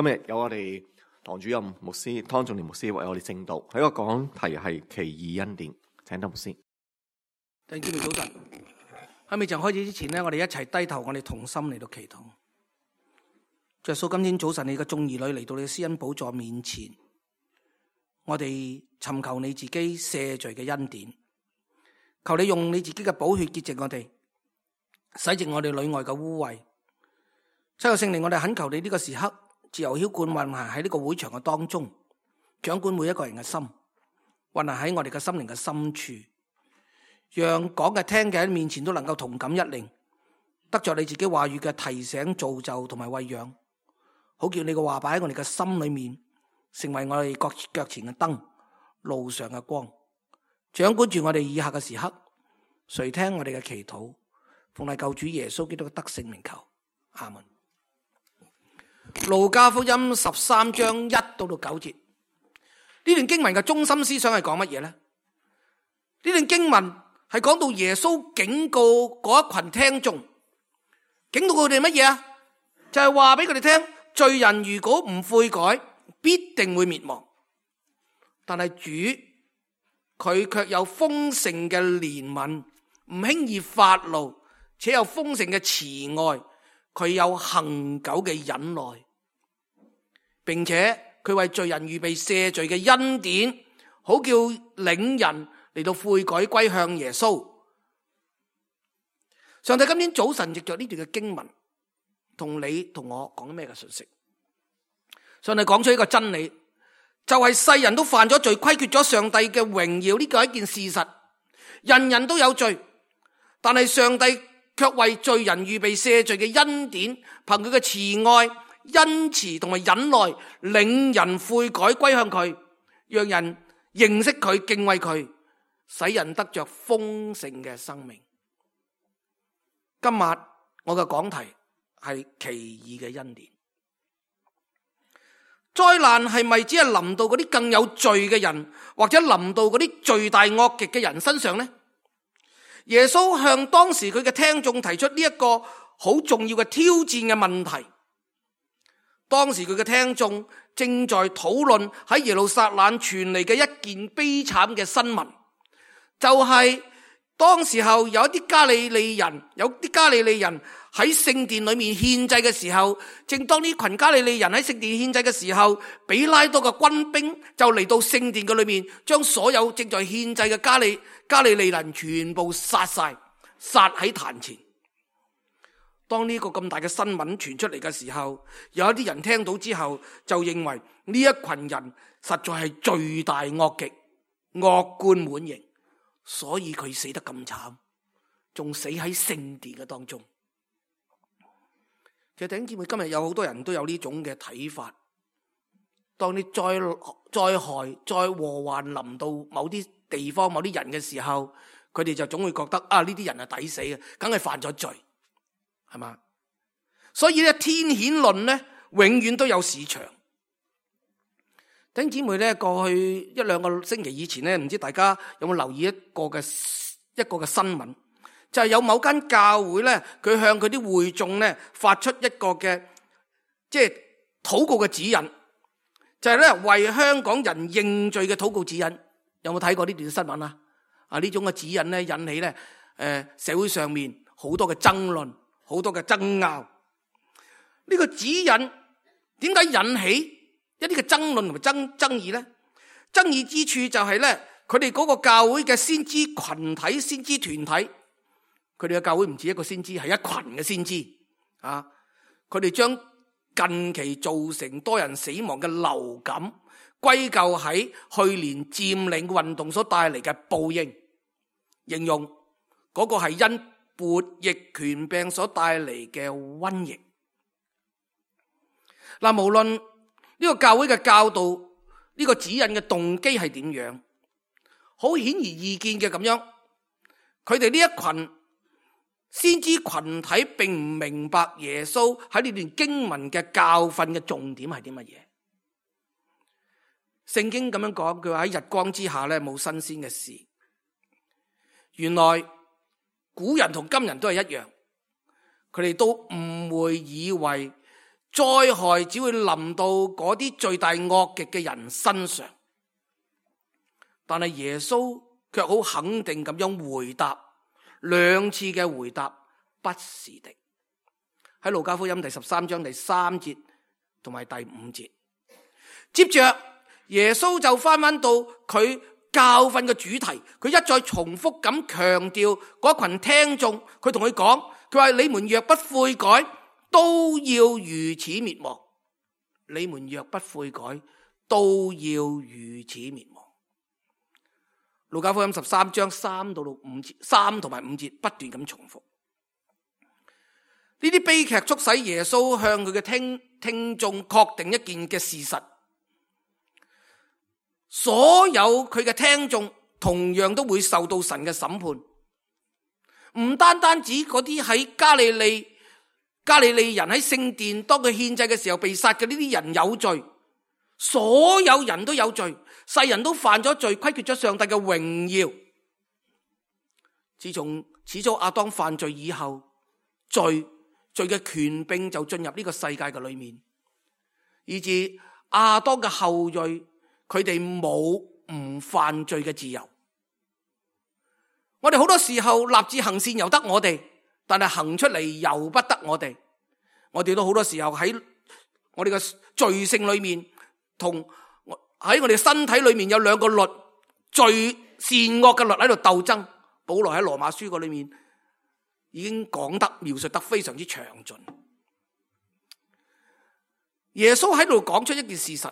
今日有我哋堂主任牧師湯仲年牧師為我哋證道，喺個講題係奇異恩典，請得牧師。弟兄姊妹早晨，喺未曾開始之前呢，我哋一齊低頭，我哋同心嚟到祈禱。耶穌，今天早晨你嘅眾兒女嚟到你嘅施恩寶座面前，我哋尋求你自己赦罪嘅恩典，求你用你自己嘅寶血潔淨我哋，洗淨我哋裏外嘅污穢。親愛聖靈，我哋懇求你呢個時刻自由澆灌運行喺呢個會場嘅當中，掌管每一個人嘅心，運行喺我哋嘅心靈嘅深處，讓講嘅聽嘅喺面前都能夠同感一靈，得着你自己話語嘅提醒、造就同埋餵養，好叫你嘅話擺喺我哋嘅心裏面，成為我哋腳前嘅燈，路上嘅光，掌管住我哋以下嘅時刻。垂聽我哋嘅祈禱，奉係救主耶穌基督嘅得勝名求，阿門。路加福音13章1到9節，呢段經文嘅中心思想係講乜嘢呢？呢段經文係講到耶穌警告嗰一群聽眾，警告佢哋乜嘢啊？就係話俾佢哋聽，罪人如果唔悔改，必定會滅亡。但係主佢卻有豐盛嘅憐憫，唔輕易發怒，且有豐盛嘅慈愛。佢有恆久嘅忍耐，並且佢為罪人預備赦罪嘅恩典，好叫領人嚟到悔改歸向耶穌。上帝今天早晨藉着呢段嘅經文，同你同我講咩嘅信息？上帝講出一個真理，就係世人都犯咗罪，虧缺咗上帝嘅榮耀，呢個係一件事實。人人都有罪，但係上帝卻為罪人預備赦罪嘅恩典，憑佢嘅慈愛、恩慈同埋忍耐，領人悔改歸向佢，讓人認識佢、敬畏佢，使人得着豐盛嘅生命。今日我嘅講題係奇異嘅恩典。災難係咪只係臨到嗰啲更有罪嘅人，或者臨到嗰啲罪大惡極嘅人身上呢？耶穌向當時佢嘅聽眾提出呢一個好重要嘅挑戰嘅問題。當時佢嘅聽眾正在討論喺耶路撒冷傳嚟嘅一件悲慘嘅新聞，就係當時候有一啲加利利人喺聖殿裏面獻祭嘅時候，正當呢群加利利人喺聖殿獻祭嘅時候，比拉多嘅軍兵就嚟到聖殿嘅裏面，將所有正在獻祭嘅加利利人全部殺晒，殺喺壇前。當呢個咁大嘅新聞傳出嚟嘅時候，有一啲人聽到之後就認為呢一群人實在係罪大惡極、惡貫滿盈，所以佢死得咁慘，仲死喺聖殿嘅當中。其實弟兄姊妹，今日有好多人都有呢種嘅睇法。當你災害、災禍患臨到某啲地方、某啲人嘅時候，佢哋就總會覺得呢啲人係抵死嘅，梗係犯咗罪，係嘛？所以咧，天譴論咧永遠都有市場。弟兄姊妹咧，過去1、2個星期以前咧，唔知大家有冇留意一個嘅新聞？就係有某間教會咧，佢向佢啲會眾咧發出一個嘅禱告嘅指引，就係咧為香港人認罪嘅禱告指引。有冇睇過呢段新聞啊？呢種嘅指引咧引起咧社會上面好多嘅爭論，好多嘅爭拗。呢個指引點解引起一啲嘅爭論同埋爭議咧？爭議之處就係咧，佢哋嗰個教會嘅先知群體、先知團體。佢哋嘅教會唔止一個先知，係一群嘅先知啊！佢哋將近期造成多人死亡嘅流感歸咎喺去年佔領運動所帶嚟嘅報應，形容嗰個係因撥疫權病所帶嚟嘅瘟疫。嗱，無論呢個教會嘅教導，呢個指引嘅動機係點樣，好顯而易見嘅咁樣，佢哋呢一群先知群體並唔明白耶穌喺呢段經文嘅教訓嘅重點係啲乜嘢。聖經咁樣講，佢話喺日光之下咧冇新鮮嘅事。原來古人同今人都係一樣，佢哋都誤會以為災害只會臨到嗰啲罪大惡極嘅人身上。但係耶穌卻好肯定咁樣回答，兩次嘅回答不是的。喺路加福音第13章第3節同埋第5節，接着耶穌就翻到佢教訓嘅主題，佢一再重複咁強調嗰群聽眾，佢同佢講，佢話你們若不悔改，都要如此滅亡。你們若不悔改，都要如此滅亡。路加福音13章3同埋5節不斷咁重複。呢啲悲劇促使耶穌向佢嘅聽眾確定一件嘅事實，所有佢嘅聽眾同樣都會受到神嘅審判。唔單單指嗰啲喺加利利人喺聖殿當佢獻祭嘅時候被殺嘅呢啲人有罪，所有人都有罪，世人都犯咗罪，虧缺咗上帝嘅榮耀。自從始祖亞當犯罪以後，罪嘅權柄就進入呢個世界嘅裏面，以致亞當嘅後裔佢哋冇唔犯罪嘅自由。我哋好多時候立志行善由得我哋，但係行出嚟由不得我哋。我哋都好多時候喺我哋嘅罪性裏面，同喺我哋身體裏面有兩個律，罪善惡嘅律喺度鬥爭。保羅喺羅馬書嗰裏面已經講得描述得非常之詳盡。耶穌喺度講出一件事實，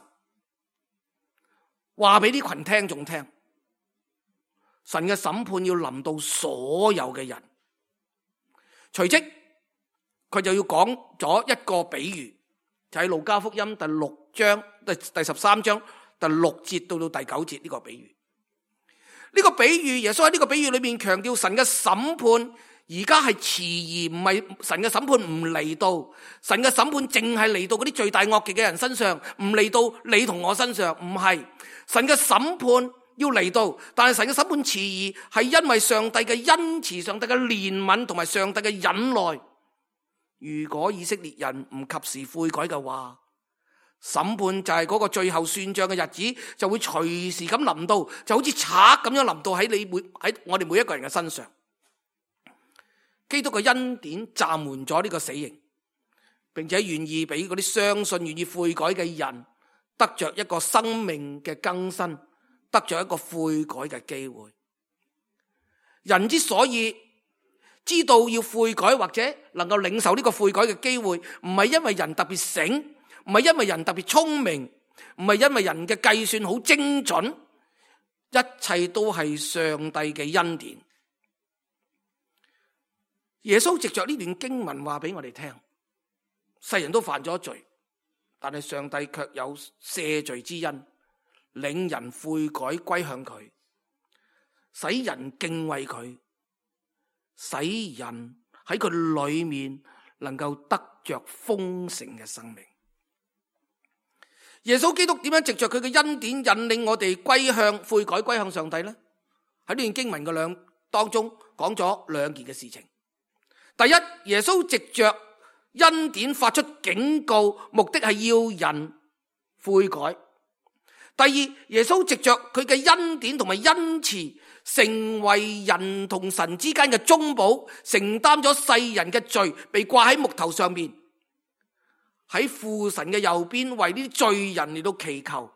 話俾呢群聽眾聽，神嘅審判要臨到所有嘅人。隨即佢就要講咗一個比喻，就喺路加福音第13章第6節到第9節呢個比喻。呢個比喻，耶穌喺呢個比喻裏面強調神嘅審判而家係遲疑，唔係神嘅審判唔嚟到，神嘅審判淨係嚟到嗰啲罪大惡極嘅人身上，唔嚟到你同我身上。唔係，神嘅審判要嚟到，但係神嘅審判遲疑係因為上帝嘅恩慈、上帝嘅憐憫同埋上帝嘅忍耐。如果以色列人唔及時悔改嘅話，審判就係嗰個最後算賬嘅日子，就會隨時咁臨到，就好似賊咁樣臨到喺我哋每一個人嘅身上。基督嘅恩典暫緩咗呢個死刑，並且願意俾嗰啲相信、願意悔改嘅人得着一個生命嘅更新，得着一個悔改嘅機會。人之所以知道要悔改，或者能夠領受呢個悔改嘅機會，唔係因為人特別醒，唔係因為人特別聰明，唔係因為人嘅計算好精準，一切都係上帝嘅恩典。耶穌藉着呢段經文話俾我哋聽，世人都犯咗罪，但係上帝卻有赦罪之恩，領人悔改歸向佢，使人敬畏佢，使人喺佢裏面能夠得着豐盛嘅生命。耶穌基督點樣藉着佢嘅恩典引領我哋歸向悔改歸向上帝呢？喺呢段經文嘅當中講咗兩件嘅事情。第一，耶穌藉着恩典發出警告，目的係要人悔改。第二，耶穌藉着佢嘅恩典同埋恩慈，成為人同神之間嘅中保，承擔咗世人嘅罪，被掛喺木頭上面，喺父神嘅右邊，為呢啲罪人嚟到祈求，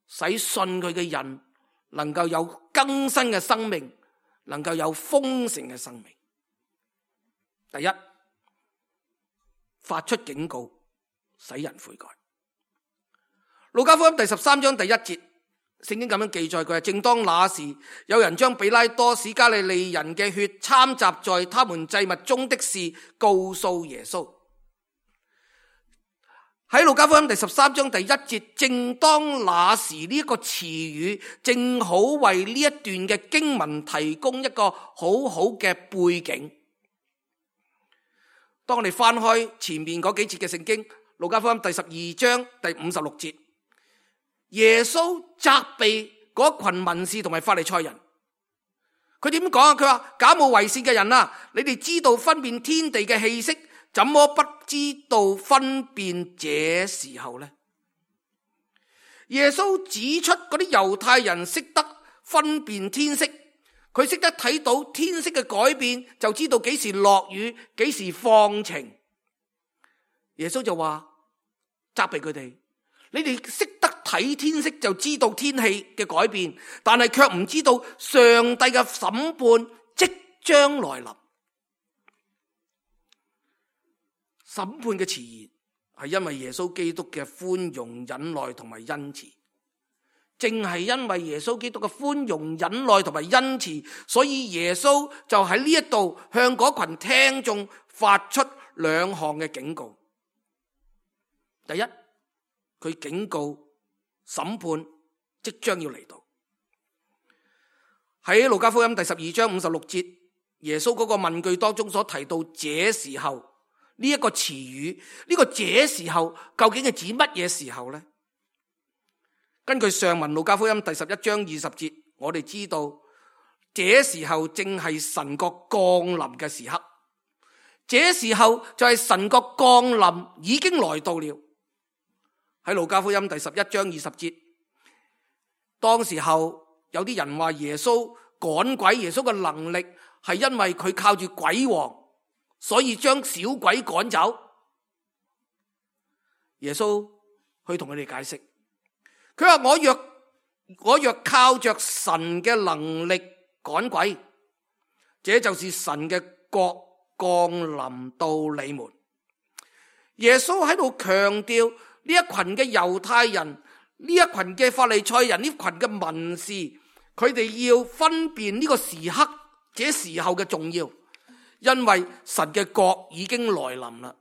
使信佢嘅人能夠有更新嘅生命，能夠有豐盛嘅生命。第一，發出警告，使人悔改。路加福音第13章第1節，聖經咁樣記載，佢係正當那時，有人將比拉多使加利利人嘅血摻雜在他們祭物中的事告訴耶穌。喺路加福音第13章第1節，正當那時呢一個詞語，正好為呢一段嘅經文提供一個好好嘅背景。當我哋翻開前面嗰幾節嘅聖經，路加福音第12章第56節，耶穌責備嗰群文士同埋法利賽人。佢點講啊？佢話：假冒為善嘅人啊，你哋知道分辨天地嘅氣息，怎麼不知道分辨這時候呢？耶穌指出嗰啲猶太人識得分辨天色，佢識得睇到天色嘅改變，就知道幾時落雨，幾時放晴。耶穌就話責備佢哋，你哋識得睇天色就知道天氣嘅改變，但係卻唔知道上帝嘅審判即將來臨。審判嘅遲延係因為耶穌基督嘅寬容、忍耐同埋恩慈。正係因為耶穌基督嘅寬容、忍耐同埋恩慈，所以耶穌就喺呢一度向嗰群聽眾發出兩項嘅警告。第一，佢警告審判即將要嚟到。喺路加福音第12章56節，耶穌嗰個問句當中所提到這時候呢一個詞語，呢個這時候究竟係指乜嘢時候呢？根據上文路加福音第11章20節，我哋知道這時候正係神國降臨嘅時刻，這時候就係神國降臨已經來到了。喺路加福音第11章20節，當時候有啲人話耶穌趕鬼，耶穌嘅能力係因為佢靠住鬼王，所以將小鬼趕走。耶穌去同佢哋解釋，佢話我若靠着神嘅能力趕鬼，這就是神嘅國降臨到你們。耶穌喺度強調呢一群嘅猶太人，呢一群嘅法利賽人，呢群嘅文士，佢哋要分辨呢個時刻，這時候嘅重要，因為神嘅國已經來臨啦，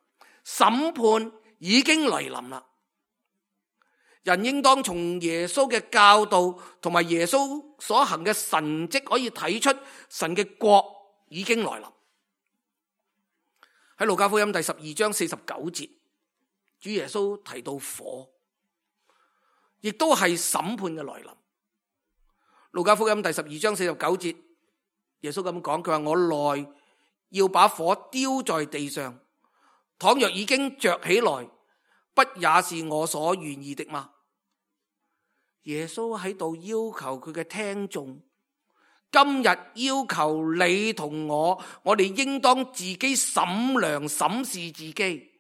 審判已經來臨啦。人應當從耶穌嘅教導同埋耶穌所行嘅神蹟可以睇出神嘅國已經來臨。喺路加福音第12章49節，主耶穌提到火，亦都係審判嘅來臨。路加福音第12章49節，耶穌咁講，佢話我來要把火丟在地上，倘若已經着起來，不也是我所願意的嗎？耶穌喺度要求佢嘅聽眾，今日要求你同我哋應當自己審量審視自己，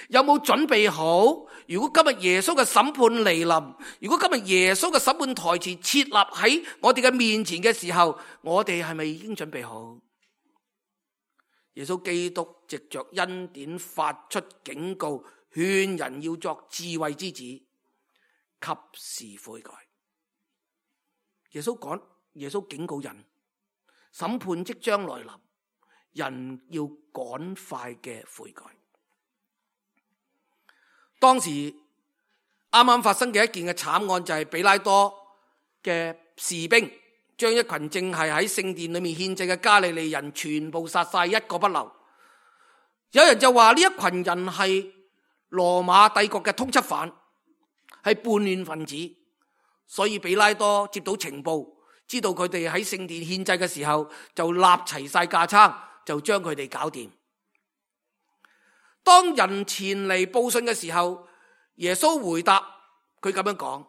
有冇準備好？如果今日耶穌嘅審判嚟臨，如果今日耶穌嘅審判台詞設立喺我哋嘅面前嘅時候，我哋係咪已經準備好？耶穌基督藉着恩典發出警告，勸人要作智慧之子，及時悔改。耶穌警告人，審判即將來臨，人要趕快嘅悔改。當時啱啱發生嘅一件嘅慘案就係彼拉多嘅士兵將一群正係喺聖殿裏面獻祭嘅加利利人全部殺晒，一個不留。有人就話呢一群人係羅馬帝國嘅通緝犯，係叛亂分子，所以彼拉多接到情報，知道佢哋喺聖殿獻祭嘅時候，就立齊晒架撐，就將佢哋搞掂。當人前嚟報信嘅時候，耶穌回答佢咁樣講，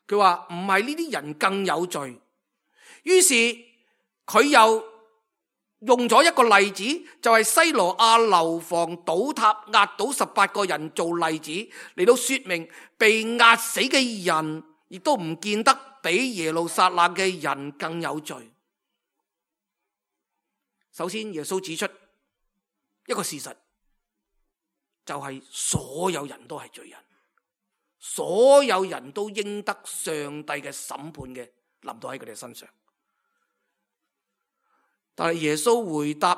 佢話唔係呢啲人更有罪。於是佢又用咗一個例子，就係西羅亞樓房倒塌壓倒18個人做例子，嚟到說明被壓死嘅人亦都唔見得比耶路撒冷嘅人更有罪。首先耶穌指出一個事實，就係所有人都係罪人，所有人都應得上帝嘅審判嘅臨到喺佢哋身上。但係耶穌回答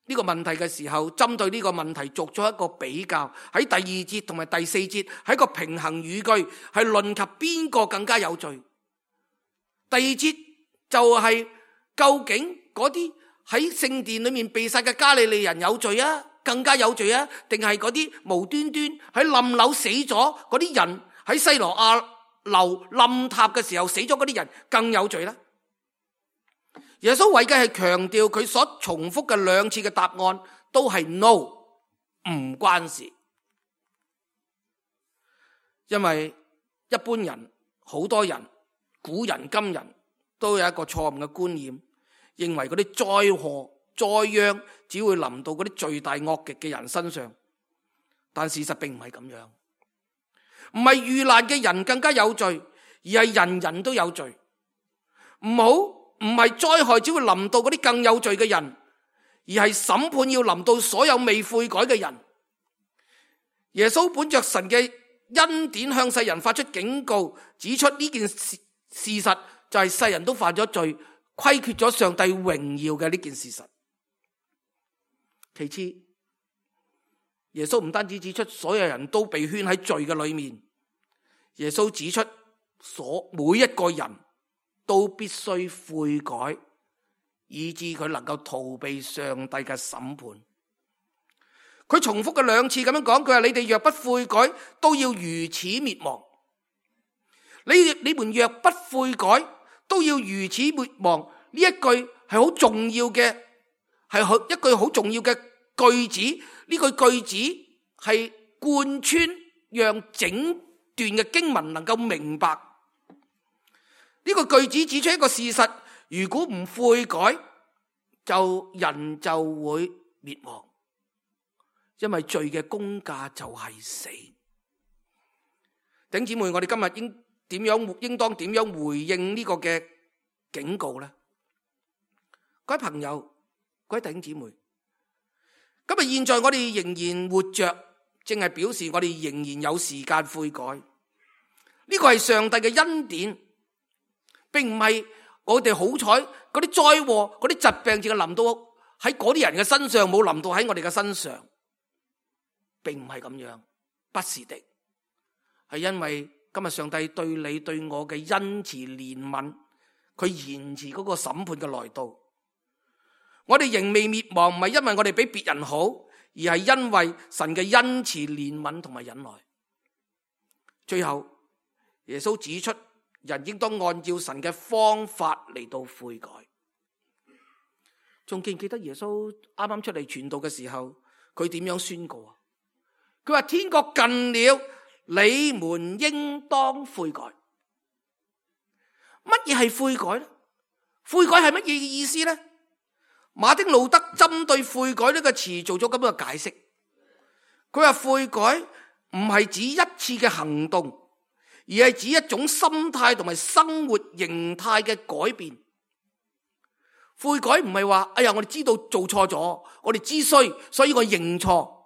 呢個問題嘅時候，針對呢個問題作咗一個比較，喺第2節同埋第4節係一個平衡語句，係論及邊個更加有罪。第2節就係究竟嗰啲喺聖殿裏面被殺嘅加利利人有罪啊，更加有罪啊，定係嗰啲無端端喺冧樓死咗嗰啲人，喺西羅亞樓冧塌嘅時候死咗嗰啲人更有罪呢？耶穌為嘅係強調佢所重複嘅2次嘅答案都係 no，唔關事。因為一般人、好多人、古人今人都有一個錯誤嘅觀念，認為嗰啲災禍災殃只會臨到嗰啲罪大惡極嘅人身上，但事實並唔係咁樣。唔係遇難嘅人更加有罪，而係人人都有罪。唔係災害只會臨到嗰啲更有罪嘅人，而係審判要臨到所有未悔改嘅人。耶穌本着神嘅恩典向世人發出警告，指出呢件事實就係世人都犯咗罪，虧缺咗上帝榮耀嘅呢件事實。其次，耶穌唔單止指出所有人都被圈喺罪嘅裏面，耶穌指出每一個人都必須悔改，以致佢能夠逃避上帝嘅審判。佢重複嘅兩次咁樣講，佢話你哋若不悔改，都要如此滅亡。你們若不悔改，都要如此滅亡。呢一句係好重要嘅，係一句好重要嘅句子。呢句句子係貫穿，讓整段嘅經文能夠明白。呢個句子指出一個事實：如果唔悔改，人就會滅亡。因為罪嘅工價就係死。弟兄姊妹，我哋今日應當點樣回應呢個嘅警告呢？各位朋友，各位弟兄姊妹，今日現在我哋仍然活着，正係表示我哋仍然有時間悔改。呢個係上帝嘅恩典，並唔係我哋好彩嗰啲災禍、嗰啲疾病淨係臨到喺嗰啲人嘅身上，冇臨到喺我哋嘅身上。並唔係咁樣，不是的，係因為今日上帝對你對我嘅恩慈憐憫，佢延遲嗰個審判嘅來到。我哋仍未滅亡，唔係因為我哋比別人好，而係因為神嘅恩慈憐憫同埋忍耐。最後，耶穌指出，人應當按照神嘅方法嚟到悔改。仲記唔記得耶穌啱啱出嚟傳道嘅時候，佢點樣宣告啊？佢話天國近了，你們應當悔改。乜嘢係悔改呢？悔改係乜嘢嘅意思呢？馬丁路德針對悔改呢個詞做咗咁樣嘅解釋。佢話悔改唔係指一次嘅行動，而係指一種心態同埋生活形態嘅改變。悔改唔係話，哎呀，我哋知道做錯咗，我哋知衰，所以我認錯。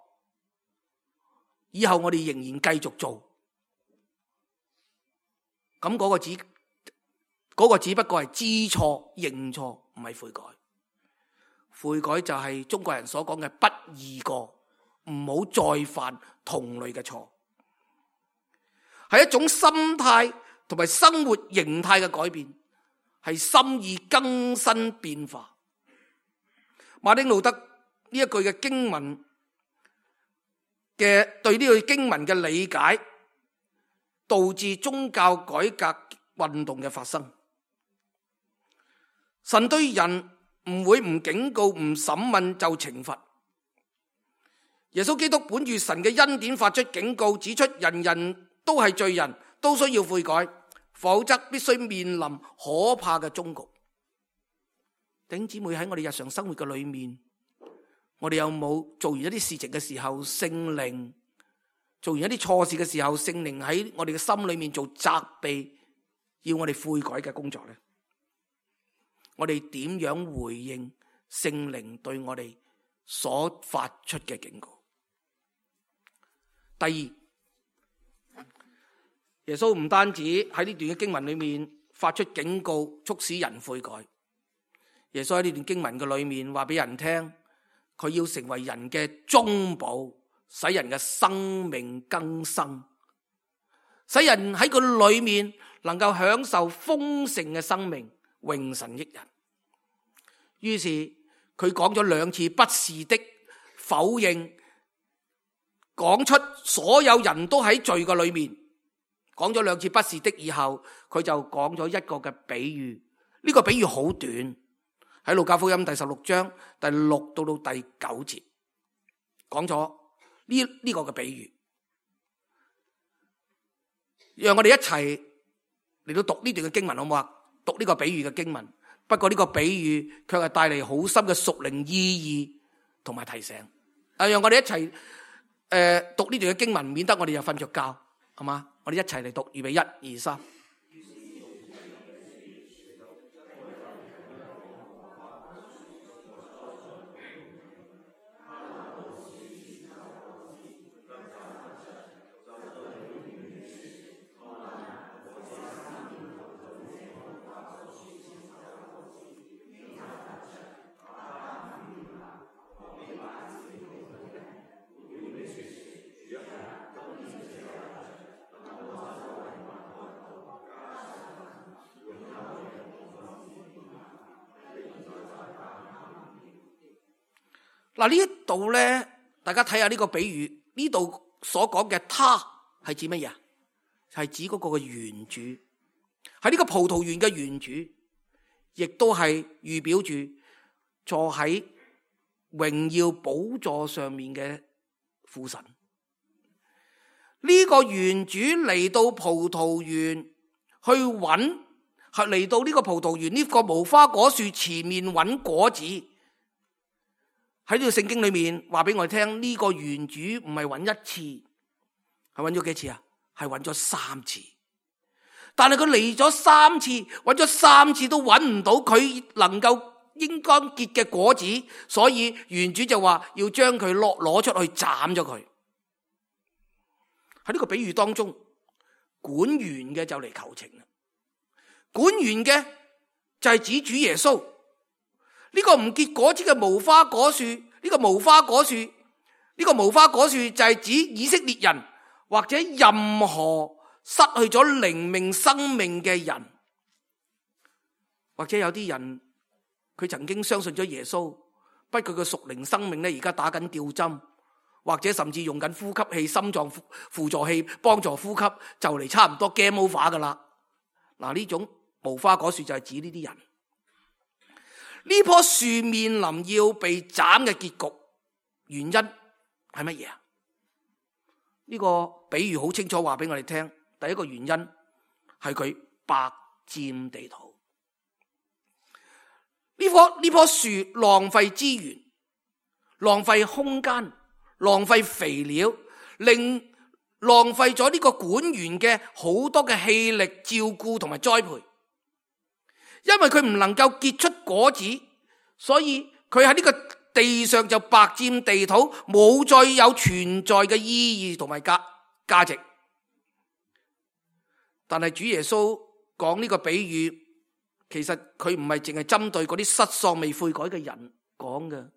以後我哋仍然繼續做，咁嗰個只不過係知錯認錯，唔係悔改。悔改就係中國人所講嘅不二過，唔好再犯同類嘅錯，係一種心態同埋生活形態嘅改變，係心意更新變化。馬丁路德呢一句嘅經文嘅對呢個經文嘅理解，導致宗教改革運動嘅發生。神對人唔會唔警告、唔審問就懲罰。耶穌基督本住神嘅恩典發出警告，指出人人都係罪人，都需要悔改，否則必須面臨可怕嘅終局。弟兄姊妹，喺我哋日常生活嘅裏面，我哋有冇做完一啲事情嘅時候，聖靈做完一啲錯事嘅時候，聖靈喺我哋嘅心裏面做責備，要我哋悔改嘅工作呢？我哋點樣回應聖靈對我哋所發出嘅警告？第二，耶穌唔單止喺呢段嘅經文裏面發出警告，促使人悔改。耶穌喺呢段經文嘅裏面話俾人聽，佢要成為人嘅中保，使人嘅生命更新，使人喺佢裏面能夠享受豐盛嘅生命，榮神益人。於是佢講咗兩次不是的否認，講出所有人都喺罪嘅裏面，講咗兩次不是的以後，佢就講咗一個嘅比喻。呢個比喻好短，喺路加福音第16章第6到第9節講咗，呢個嘅比喻，讓我哋一齊嚟到讀呢段嘅經文，好唔好啊？讀呢個比喻嘅經文，不過呢個比喻卻係帶嚟好深嘅屬靈意義同埋提醒。讓我哋一齊讀呢段嘅經文，免得我哋又瞓着覺，好嘛？我哋一齊嚟讀，預備1、2、3。嗱，呢度咧，大家睇下呢個比喻，呢度所講嘅他係指乜嘢啊？係指嗰個嘅園主，喺呢個葡萄園嘅園主，亦都係預表住坐喺榮耀寶座上面嘅父神。呢個園主嚟到葡萄園去揾，係嚟到呢個葡萄園呢個無花果樹前面揾果子。喺呢個聖經裏面話俾我哋聽，呢個園主唔係揾一次，係揾咗幾次啊？係揾咗3次。但係佢嚟咗3次，揾咗3次都揾唔到佢能夠應該結嘅果子，所以園主就話要將佢攞出去斬咗佢。喺呢個比喻當中，管園嘅就嚟求情啦。管園嘅就係指主耶穌。呢個唔結果子嘅無花果樹，呢個無花果樹就係指以色列人或者任何失去咗靈命生命嘅人，或者有啲人佢曾經相信咗耶穌，不過佢嘅屬靈生命咧而家打緊吊針，或者甚至用緊呼吸器、心臟輔助器幫助呼吸，就嚟差唔多 game over 噶啦。嗱，呢種無花果樹就係指呢啲人。呢棵樹面臨要被斬嘅結局，原因係乜嘢啊？呢個比喻好清楚話俾我哋聽，第一個原因係佢白佔地土。呢棵樹浪費資源、浪費空間、浪費肥料，浪費咗呢個管園嘅好多嘅氣力、照顧同埋栽培。因為佢唔能夠結出果子，所以佢喺呢個地上就白佔地土，冇再有存在嘅意義同埋價值。但係主耶穌講呢個比喻，其實佢唔係淨係針對嗰啲失喪未悔改嘅人講嘅。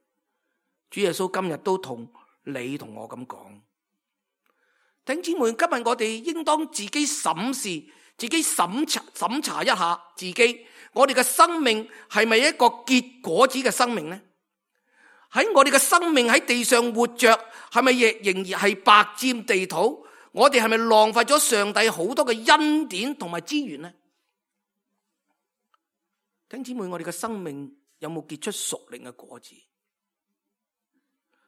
主耶穌今日都同你同我咁講，弟兄姊妹，今日我哋應當自己審視、自己審查一下自己。我哋嘅生命係咪一個結果子嘅生命呢？喺我哋嘅生命喺地上活着，係咪仍然係白佔地土？我哋係咪浪費咗上帝好多嘅恩典同埋資源呢？弟兄姊妹，我哋嘅生命有冇結出屬靈嘅果子？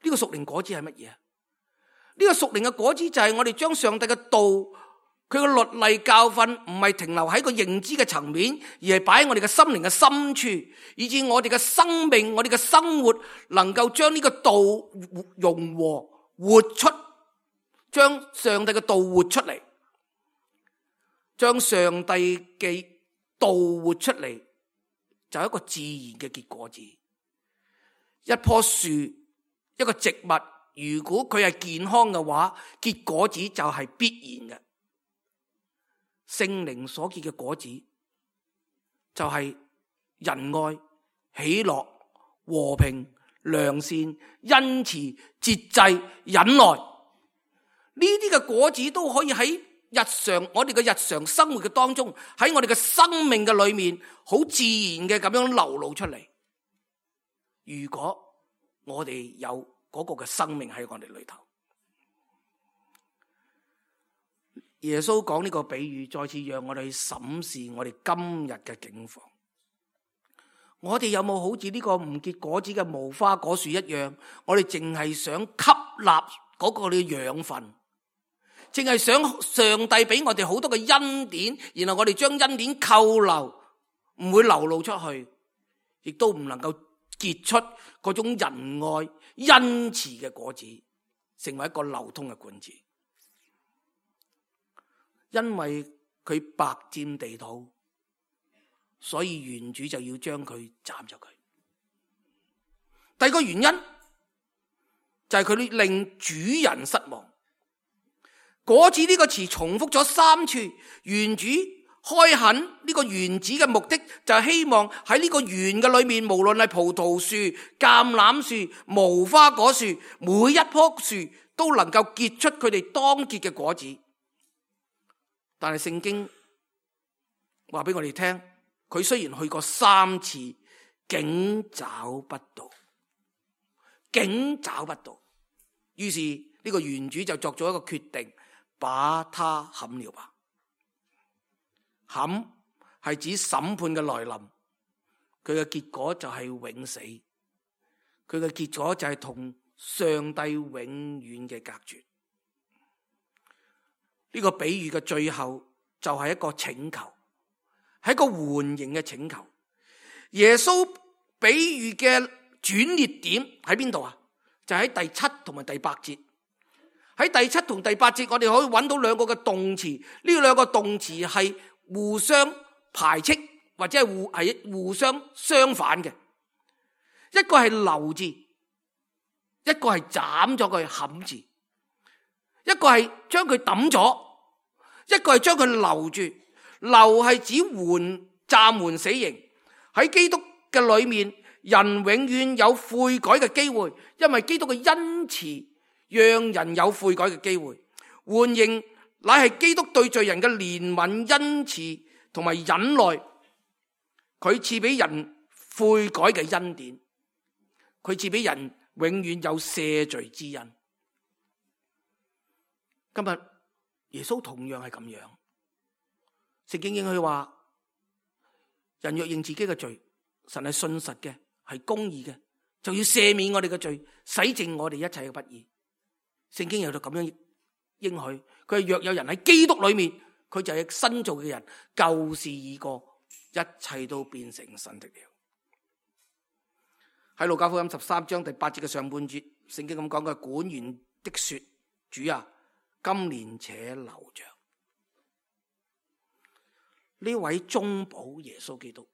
呢個屬靈果子係乜嘢？呢個屬靈嘅果子就係我哋將上帝嘅道，佢嘅律例教訓唔係停留喺個認知嘅層面，而係擺喺我哋嘅心靈嘅深處，以致我哋嘅生命、我哋嘅生活能夠將呢個道融和活出，將上帝嘅道活出嚟，將上帝嘅道活出嚟，就係一個自然嘅結果子。一棵樹、一個植物，如果佢係健康嘅話，結果子就係必然嘅。聖靈所結嘅果子就係仁愛、喜樂、和平、良善、恩慈、節制、忍耐。呢啲嘅果子都可以喺我哋嘅日常生活嘅當中，喺我哋嘅生命嘅裏面，好自然嘅咁樣流露出嚟。如果我哋有嗰個嘅生命喺我哋裏頭。耶穌講呢個比喻，再次讓我哋去審視我哋今日嘅境況。我哋有冇好似呢個唔結果子嘅無花果樹一樣，我哋淨係想吸納嗰個嘅養分，淨係想上帝俾我哋好多嘅恩典，然後我哋將恩典扣留，唔會流露出去，亦都唔能夠結出嗰種仁愛恩慈嘅果子，成為一個流通嘅管子。因為佢白佔地土，所以園主就要將佢斬咗佢。第二個原因就係佢令主人失望。果子呢個詞重複咗3次，園主開墾呢個園子嘅目的就係希望喺呢個園嘅裏面，無論係葡萄樹、橄欖樹、無花果樹，每一棵樹都能夠結出佢哋當結嘅果子。但係聖經話俾我哋聽，佢雖然去過3次，竟找不到，竟找不到。於是呢個園主就作咗一個決定，把他砍了吧。砍係指審判嘅來臨，佢嘅結果就係永死，佢嘅結果就係同上帝永遠嘅隔絕。呢個比喻嘅最後就係一個請求，係一個緩刑嘅請求。耶穌比喻嘅轉捩點喺邊度啊？就喺第7同埋第8節。喺第7同第8節，我哋可以揾到2個嘅動詞，呢2個動詞係互相排斥或者係互相相反嘅。一個係留字，一個係斬咗佢砍字，一個係將佢抌咗，一個係將佢留住。留係指暫緩死刑。喺基督嘅裏面，人永遠有悔改嘅機會，因為基督嘅恩慈讓人有悔改嘅機會。緩刑乃係基督對罪人嘅憐憫、恩慈同埋忍耐，佢賜俾人悔改嘅恩典，佢賜俾人永遠有赦罪之恩。今日耶穌同樣係咁樣。聖經應許話，人若認自己嘅罪，神係信實嘅，係公義嘅，就要赦免我哋嘅罪，洗淨我哋一切嘅不義。聖經有到咁樣應許，佢係若有人喺基督裏面，佢就係新造嘅人，舊事已過，一切都變成新的了。喺路加福音13章第8節嘅上半節，聖經咁講嘅，管園的說：主啊，今年且留着。呢位中保耶穌基督，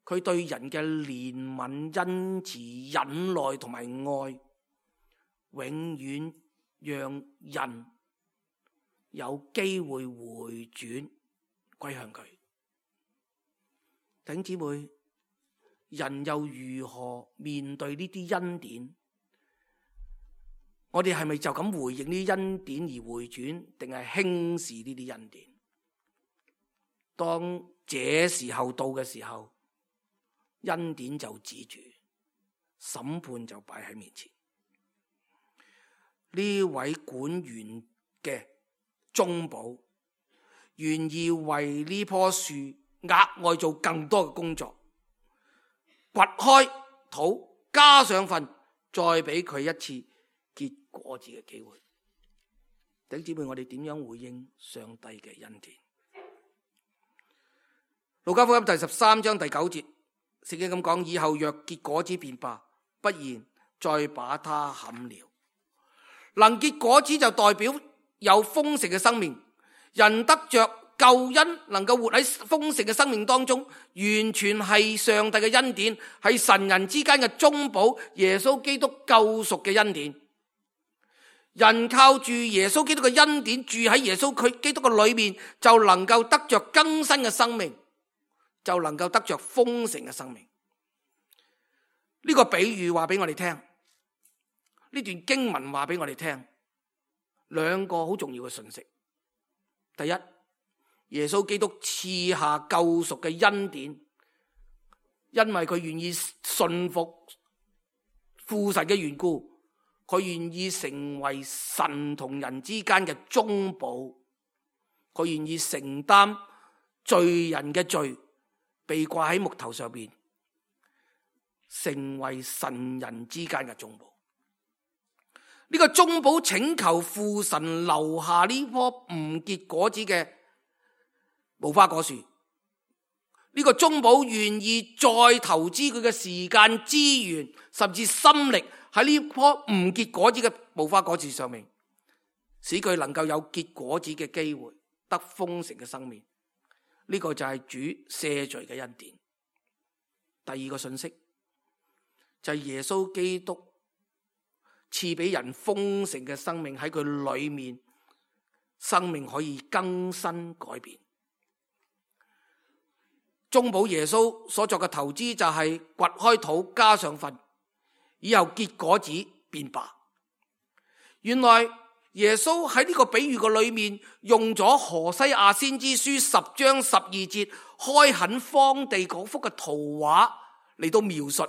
佢對人嘅憐憫、恩慈、忍耐同埋愛，永遠讓人有機會回轉歸向佢。弟兄姊妹，人又如何面對呢啲恩典？我哋係咪就咁回應呢啲恩典而回轉，定係輕視呢啲恩典？當這時候到嘅時候，恩典就止住，審判就擺喺面前。呢位管園嘅中保，願意為呢棵樹額外做更多嘅工作，掘開土，加上糞，再俾佢一次結果子嘅機會。弟兄姊妹，我哋點樣回應上帝嘅恩典？路加福音第13章第9節，聖經咁講：以後若結果子便罷，不然再把它砍了。能結果子就代表有豐盛嘅生命，人得着救恩，能夠活喺豐盛嘅生命當中，完全係上帝嘅恩典，係神人之間嘅中保，耶穌基督救贖嘅恩典。人靠住耶穌基督嘅恩典，住喺耶穌基督嘅裏面，就能夠得着更新嘅生命，就能夠得着豐盛嘅生命。呢個比喻話俾我哋聽，呢段經文話俾我哋聽兩個好重要嘅信息。第一，耶穌基督賜下救贖嘅恩典，因為佢願意順服父神嘅緣故，佢願意成為神同人之間嘅中保，佢願意承擔罪人嘅罪，被掛喺木頭上邊，成為神人之間嘅中保。呢個中保請求父神留下呢棵唔結果子嘅無花果樹，呢個中保願意再投資佢嘅時間資源，甚至心力喺呢棵唔結果子嘅無花果樹上面，使佢能夠有結果子嘅機會，得豐盛嘅生命。呢個就係主赦罪嘅恩典。第二個信息就係耶穌基督賜俾人豐盛嘅生命，喺佢裏面生命可以更新改變。中保耶穌所作嘅投資就係掘開土加上糞，以後結果子變白。原來耶穌喺呢個比喻嘅裏面用咗何西阿先知書10章12節開墾荒地嗰幅嘅圖畫嚟到描述，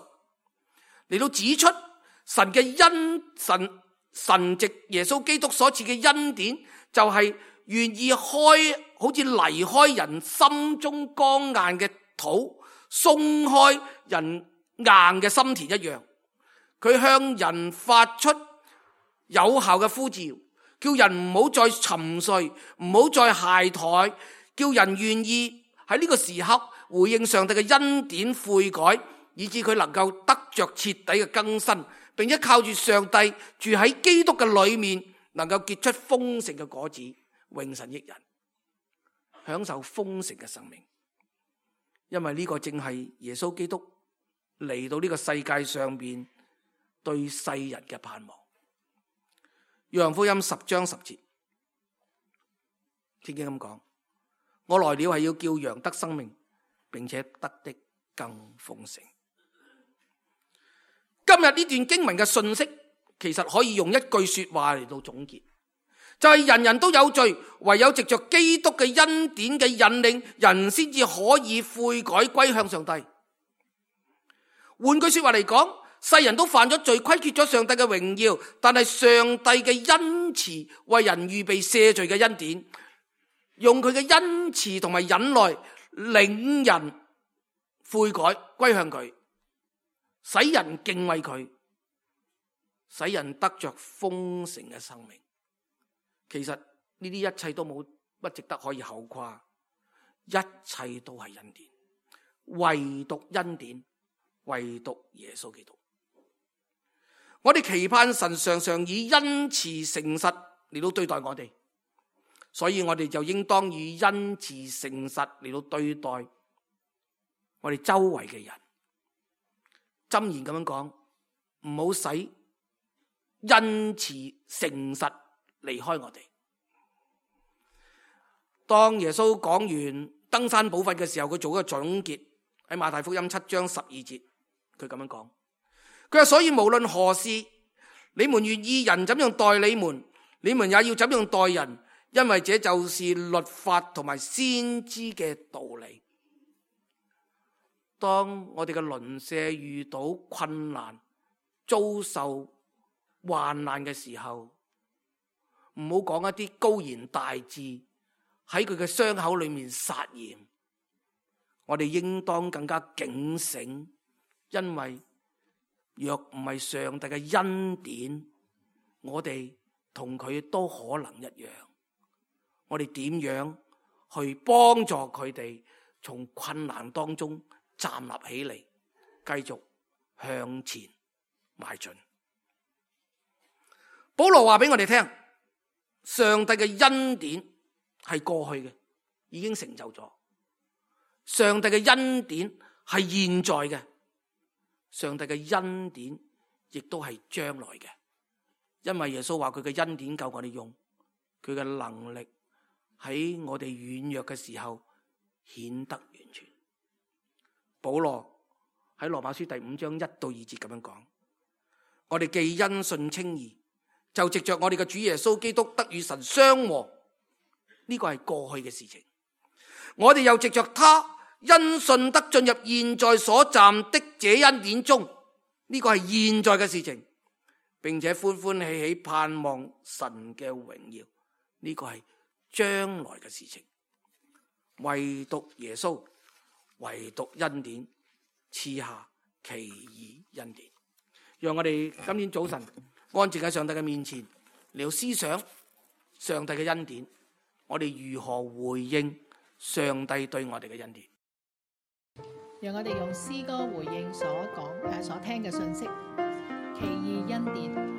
嚟到指出神嘅神藉耶穌基督所賜嘅恩典，就係願意好似離開人心中剛硬嘅土，鬆開人硬嘅心田一樣。佢向人發出有效嘅呼召，叫人唔好再沉睡，唔好再懈怠，叫人願意喺呢個時刻回應上帝嘅恩典悔改，以致佢能夠得着徹底嘅更新，並且靠住上帝住喺基督嘅裏面，能夠結出豐盛嘅果子，榮神益人，享受豐盛嘅生命。因為呢個正係耶穌基督嚟到呢個世界上邊對世人嘅盼望。約翰福音10章10節，聖經咁講：我來了係要叫羊得生命，並且得的更豐盛。今日呢段經文嘅信息，其實可以用一句說話嚟到總結，就係人人都有罪，唯有藉着基督嘅恩典嘅引領，人先至可以悔改歸向上帝。換句說話嚟講，世人都犯咗罪，虧缺咗上帝嘅榮耀，但係上帝嘅恩慈為人預備赦罪嘅恩典，用佢嘅恩慈同埋忍耐領人悔改歸向佢，使人敬畏佢，使人得着豐盛嘅生命。其實呢啲一切都冇乜值得可以口誇，一切都係恩典，唯獨恩典，唯獨耶穌基督。我哋期盼神常常以恩慈誠實嚟到對待我哋，所以我哋就應當以恩慈誠實嚟到對待我哋周圍嘅人。箴言咁樣講，唔好使恩慈誠實離開我哋。當耶穌講完登山寶訓嘅時候，佢做一個總結，喺馬太福音7章12節，佢咁樣講，佢話：所以無論何事，你們願意人怎樣待你們，你們也要怎樣待人，因為這就是律法同埋先知嘅道理。當我哋嘅鄰舍遇到困難、遭受患難嘅時候，唔好講一啲高言大志，喺佢嘅傷口裏面撒鹽。我哋應當更加警醒，因為若唔係上帝嘅恩典，我哋同佢都可能一樣。我哋點樣去幫助佢哋從困難當中站立起嚟，繼續向前邁進？保羅話俾我哋聽，上帝嘅恩典係過去嘅，已經成就咗。上帝嘅恩典係現在嘅，上帝嘅恩典亦都係將來嘅。因為耶穌話佢嘅恩典夠我哋用，佢嘅能力喺我哋軟弱嘅時候顯得完全。保羅喺羅馬書第5章1到2節咁樣講：我哋既因信稱義，就藉着我哋嘅主耶穌基督得與神相和，呢個係過去嘅事情。我哋又藉着他因信得進入現在所站的這恩典中，呢個係現在嘅事情，並且歡歡喜喜盼望神嘅榮耀，呢個係將來嘅事情。唯獨耶穌，唯獨恩典賜下奇異恩典。讓我哋今天早晨安靜喺上帝嘅面前，嚟到思想上帝嘅恩典，我哋如何回應上帝對我哋嘅恩典？讓我哋用詩歌回應所聽嘅信息，奇異恩典。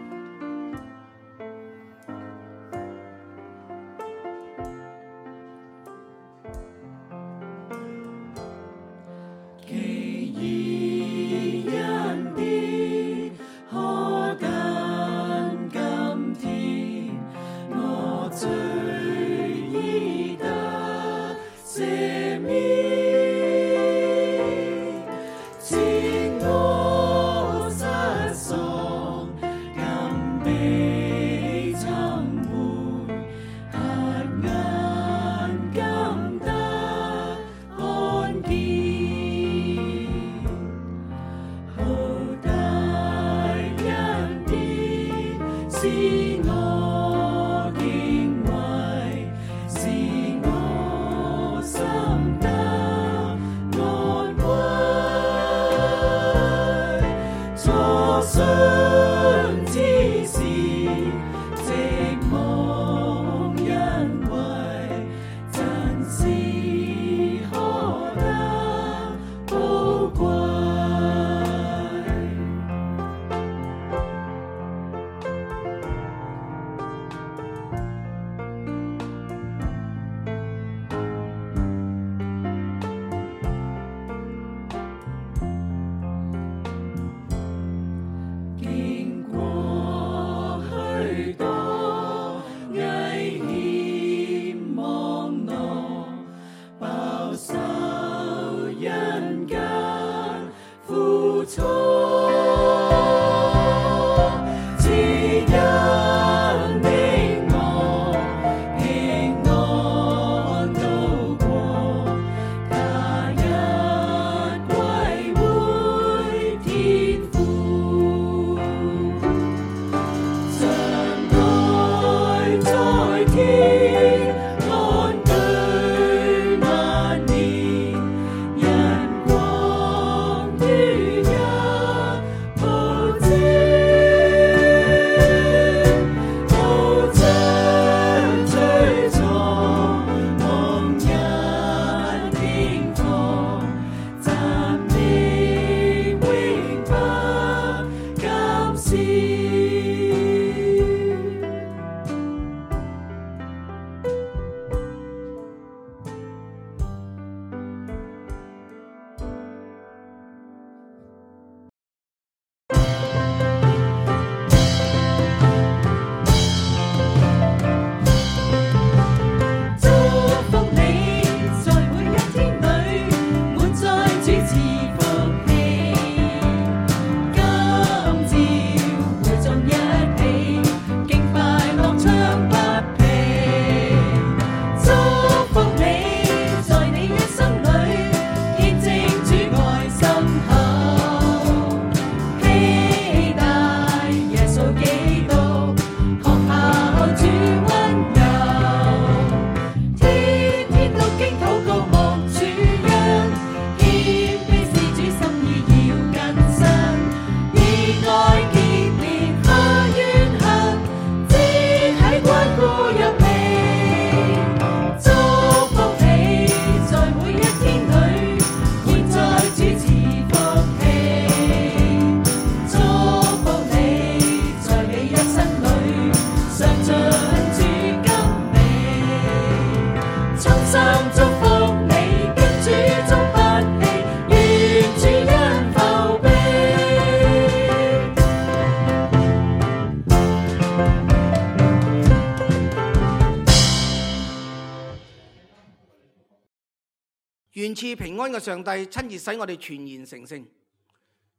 願賜平安嘅上帝親自使我哋全然成聖，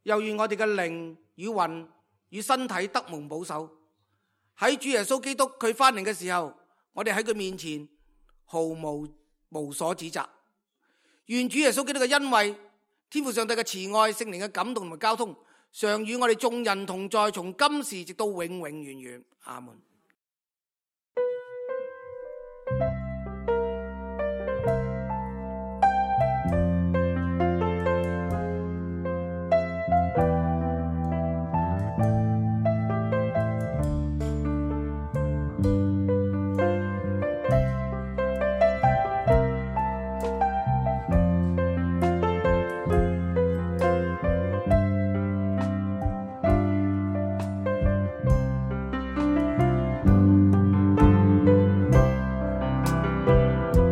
又願我哋嘅靈與魂與身體得蒙保守。喺主耶穌基督佢翻嚟嘅時候，我哋喺佢面前毫無所指責。願主耶穌基督嘅恩惠、天父上帝嘅慈愛、聖靈嘅感動同埋交通，常與我哋眾人同在，從今時直到永永遠遠。阿門。拜。